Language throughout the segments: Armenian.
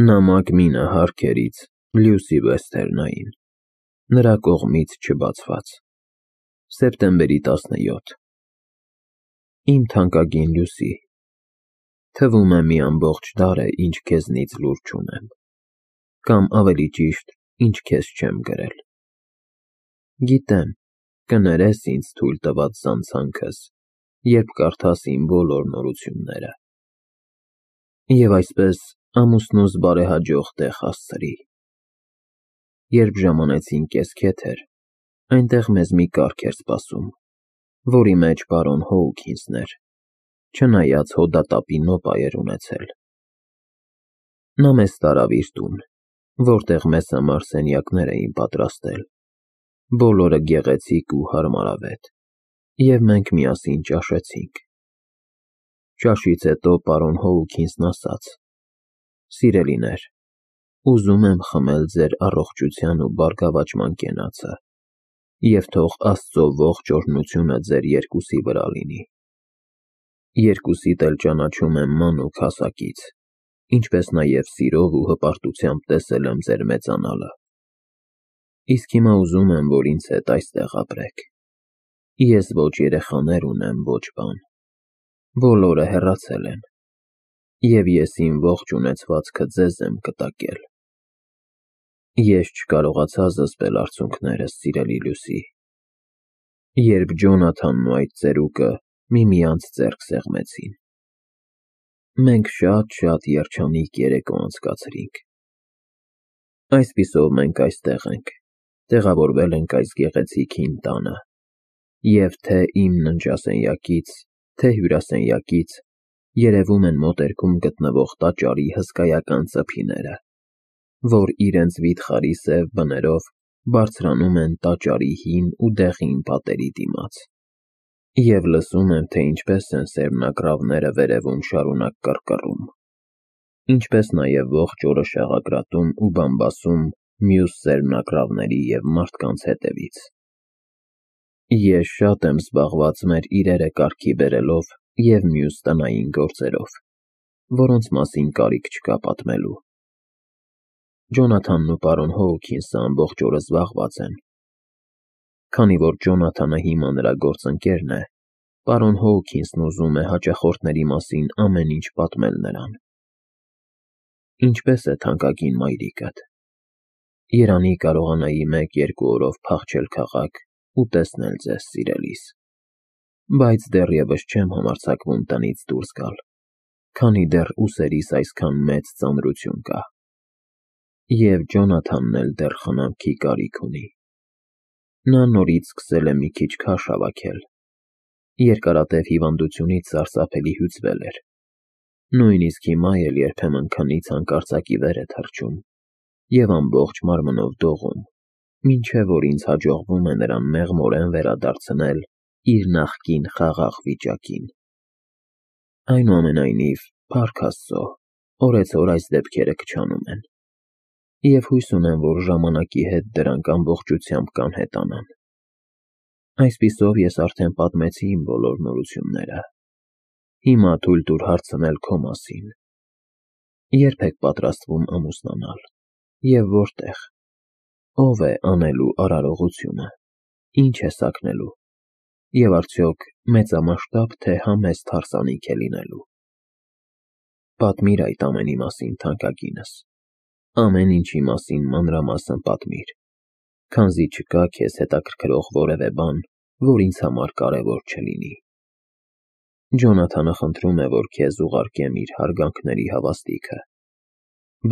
Նամակ մինը Հարքերից Լյուսի Վեսթերնային, նրա կողմից չբացված, սեպտեմբերի 17։ Իմ թանկագին Լյուսի, թվում է մի ամբողջ դար է, ինչ քեզնից լուր չունեմ, կամ ավելի ճիշտ, ինչ քեզ չեմ գրել։ Գիտեմ, կներես ինձ թույլ տված զանցանքս, երբ կարդաս իմ բոլոր նորությունները։ Եվ այսպես ամուսնուս բարեհաջող տեղ հասցրի։ Երբ ժամանեցին կեսքեթեր, այնտեղ մեզ մի կառք էր սպասում, որի մեջ պարոն Հոուքինսն էր, չնայած հոդատապի նոպա էր ունեցել։ Նա մեզ տարավ իր տուն, որտեղ մեզ համար սենյակներ էին պատրաստել, բոլորը գեղեցիկ ու հարմարավետ, և մենք միասին ճաշեցինք։ Ճաշից հետո պարոն Հոուքինսն ասաց. «Սիրելիներ, ուզում եմ խմել ձեր առողջության ու բարգավաճման կենացը, և թող Աստծո ողջ օրհնությունը ձեր երկուսի վրա լինի։ Երկուսիդ էլ ճանաչում եմ մանուկ հասակից, ինչպես նաև սիրով ու հպարտությամբ տեսել եմ ձեր մեծանալը։ Իսկ հիմա ուզում եմ, որ ինձ հետ այստեղ ապրեք։ Ես ոչ երեխաներ ունեմ, ոչ բան, բոլորը հեռացել են, և ես իմ ողջ ունեցվածքը ձեզ եմ կտակել»։ Ես չկարողացա զսպել արցունքներս, սիրելի Լյուսի, երբ Ջոնաթանն ու այդ ծերուկը միմյանց ձեռք սեղմեցին։ Մենք շատ երջանիկ երեկո անցկացրինք։ Այսպիսով մենք այստեղ ենք, տեղավորվել ենք այս գեղեցիկ հին տանը, և թե իմ ննջասենյակից, թե հյուրասենյակից երևում են մոտերքում գտնվող տաճարի հսկայական ծփիները, որ իրենց վիթխարի սև բներով բարձրանում են տաճարի հին ու դեղին պատերի դիմաց, և լսում եմ, թե ինչպես են սերմնակռավները վերևում շարունակ կռկռում, ինչպես նաև ողջ օրը շաղակրատում ու բամբասում մյուս սերմնակռավների և մարդկանց հետևից։ Ես շատ եմ զբաղված մեր իրերը կարգի բերելով և մյուս տնային գործերով, որոնց մասին կարիք չկա պատմելու։ Ջոնաթանն ու պարոն Հոուքինսը ամբողջ օրը զբաղված են։ Քանի որ Ջոնաթանը հիմա նրա գործընկերն է, պարոն Հոուքինսն ուզում է հաճախորդների մասին ամեն ինչ պատմել նրան։ Ինչպե՞ս է թանկագին մայրիկդ։ Երանի կարողանայի 1-2 օրով փախչել քաղաք ու տեսնել ձեզ, սիրելիս, բայց դեռևս չեմ համարձակվում տնից դուրս գալ, քանի դեռ ուսերիս այսքան մեծ ծանրություն կա։ Եվ Ջոնաթանն էլ դեռ խնամքի կարիք ունի։ Նա նորից սկսել է մի քիչ քաշ հավաքել, երկարատև հիվանդությունից սարսափելի հյուծվել էր, նույնիսկ հիմա էլ երբեմն քնից հանկարծակի վեր է թռչում և ամբողջ մարմնով դողում, մինչև որ ինձ հաջողվում է նրան մեղմորեն վերադարձնել իր նախկին խաղաղ վիճակին։ Այնուամենայնիվ, փառք Աստծո, օրեցօր այս դեպքերը քչանում են, և հույս ունեմ, որ ժամանակի հետ դրանք ամբողջությամբ կանհետանան։ Այսպիսով ես արդեն պատմեցի իմ բոլոր նորությունները։ Հիմա թույլ տուր հարցնել քո մասին։ Ե՞րբ եք պատրաստվում ամուսնանալ, և որտեղ։ Ո՞վ է անելու արարողությունը, ինչ է սագնելու, և արդյոք մեծամասշտաբ, թե համեստ հարսանիք է լինելու։ Պատմիր այդ ամենի մասին, թանկագինս, ամեն ինչի մասին մանրամասն պատմիր, քանզի չկա քեզ հետաքրքրող որևէ բան, որ ինձ համար կարևոր չլինի։ Ջոնաթանը խնդրում է, որ քեզ ուղարկեմ իր հարգանքների հավաստիքը,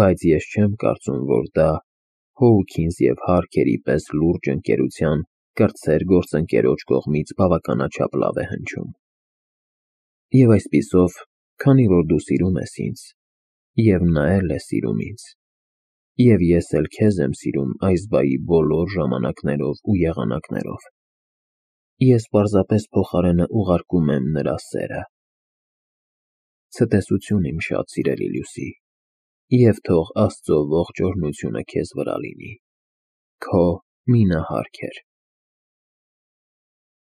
բայց ես չեմ կարծում, որ դա Հոուքինս և Հարքերի պես լուրջ ընկերության կրտսեր գործընկերոջ կողմից բավականաչափ լավ է հնչում։ Եվ այսպիսով, քանի որ դու սիրում ես ինձ, և նա էլ է սիրում ինձ, և ես էլ քեզ եմ սիրում այս բայի բոլոր ժամանակներով ու եղանակներով, ես պարզապես փոխարենը ուղարկում եմ նրա սերը։ Ցտեսություն, իմ շատ սիրելի Լյուսի, և թող Աստծո ողջ օրհնությունը քեզ վրա լինի։ Քո Մինա Հարքեր։